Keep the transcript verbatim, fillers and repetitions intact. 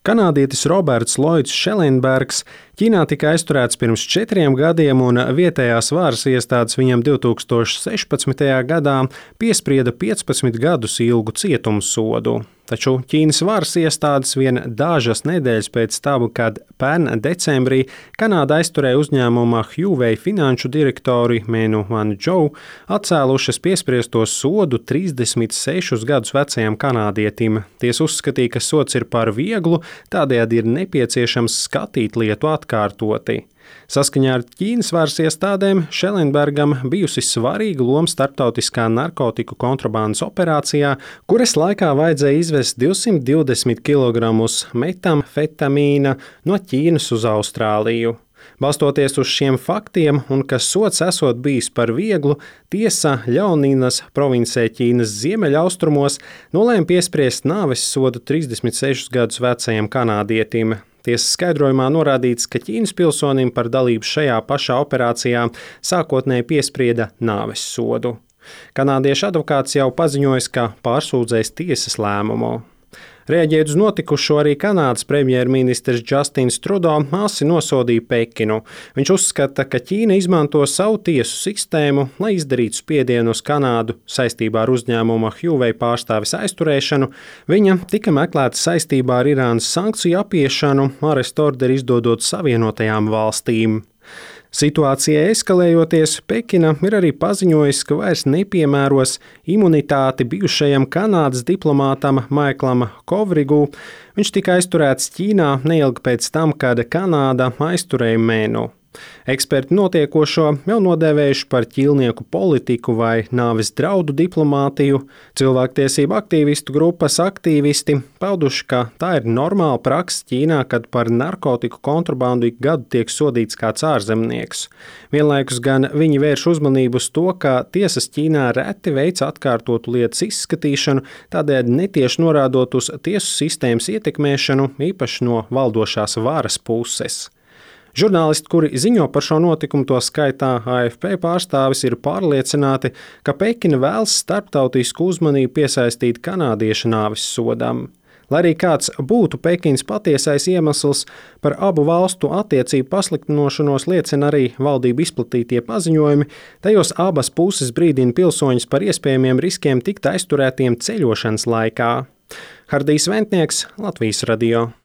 Kanādietis Roberts Lloyds Schellenbergs Ķīnā tika aizturēts pirms četriem gadiem, un vietējās varas iestādes viņam divi tūkstoši sešpadsmitajā gadā piesprieda piecpadsmit gadus ilgu cietumsodu. Taču Ķīnas varas iestādes vien dažas nedēļas pēc tam, kad pērn decembrī Kanāda aizturēja uzņēmuma Huawei finanšu direktori Menu Wanzhou, atcēlušas piespriesto sodu trīsdesmit sešus gadus vecajam kanādietim. Tiesa uzskatīja, ka sods ir par vieglu, tādējādi ir nepieciešams skatīt lietu atkārtoti. Saskaņā ar Ķīnas varas iestādēm Schellenbergam bijusi svarīga loma starptautiskā narkotiku kontrabandas operācijā, kuras laikā vajadzēja izvest divsimt divdesmit kilogramus metamfetamīna no Ķīnas uz Austrāliju. Balstoties uz šiem faktiem un ka sods esot bijis par vieglu, tiesa Ļaoninas provincē Ķīnas ziemeļaustrumos nolēma piespriest nāves sodu trīsdesmit sešus gadus vecajam kanādietim. Tiesas skaidrojumā norādīts, ka Ķīnas pilsonim par dalību šajā pašā operācijā sākotnēji piesprieda nāves sodu. Kanādiešu advokāts jau paziņojis, ka pārsūdzēs tiesas lēmumu. Reaģējot uz notikušo, arī Kanādas premjerministrs Justins Trudeau asi nosodīja Pekinu. Viņš uzskata, ka Ķīna izmanto savu tiesu sistēmu, lai izdarītu spiedienu uz Kanādu saistībā ar uzņēmuma Huawei pārstāves aizturēšanu. Viņa tika meklēta saistībā ar Irānas sankciju apiešanu, arestu orderi izdodot Savienotajām valstīm. Situācijai eskalējoties, Pekina ir arī paziņojusi, ka vairs nepiemēros imunitāti bijušajam Kanādas diplomātam Maiklam Kovrigu. Viņš tika aizturēts Ķīnā neilgi pēc tam, kad Kanāda aizturēja Menu. Eksperti notiekošo jau nodēvējuši par ķīlnieku politiku vai nāves draudu diplomātiju. Cilvēktiesību aktīvistu grupas aktīvisti pauduši, ka tā ir normāla praksa Ķīnā, kad par narkotiku kontrabandu ik gadu tiek sodīts kāds ārzemnieks. Vienlaikus gan viņi vērš uzmanību uz to, ka tiesas Ķīnā reti veic atkārtotu lietas izskatīšanu, tādēļ netieši norādot uz tiesu sistēmas ietekmēšanu, īpaši no valdošās varas puses. Žurnālisti, kuri ziņo par šo notikumu, to skaitā A F P pārstāvis, ir pārliecināti, ka Pekina vēlas starptautisku uzmanību piesaistīt kanādiešu nāves sodam. Lai arī kāds būtu Pekinas patiesais iemesls, par abu valstu attiecību pasliktinošanos liecina arī valdību izplatītie paziņojumi, tajos abas puses brīdina pilsoņus par iespējamiem riskiem tikt aizturētiem ceļošanas laikā. Hardijs Ventnieks, Latvijas radio.